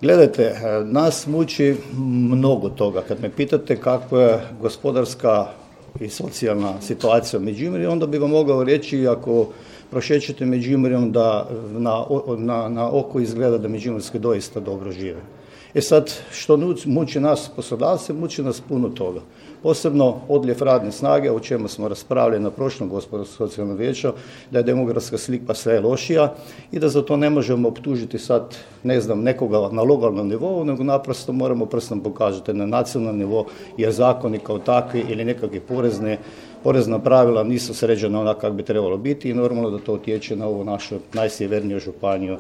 Gledajte, nas muči mnogo toga. Kad me pitate kakva je gospodarska i socijalna situacija u Međimurju, onda bi vam mogao reći, ako prošećete Međimurjem, da na oko izgleda da Međimurski doista dobro žive. Sad, što muči nas poslodavce, muči nas puno toga. Posebno odljev radne snage, o čemu smo raspravljali na prošlom gospodarsko-socijalnom vijeću, da je demografska slika sve lošija i da za to ne možemo optužiti sad, nekoga na lokalnom nivou, nego naprosto moramo prstom pokazati na nacionalnom nivou, jer zakoni kao takvi ili nekakve porezna pravila nisu sređena onako kako bi trebalo biti i normalno da to utječe na ovu našu najsjeverniju županiju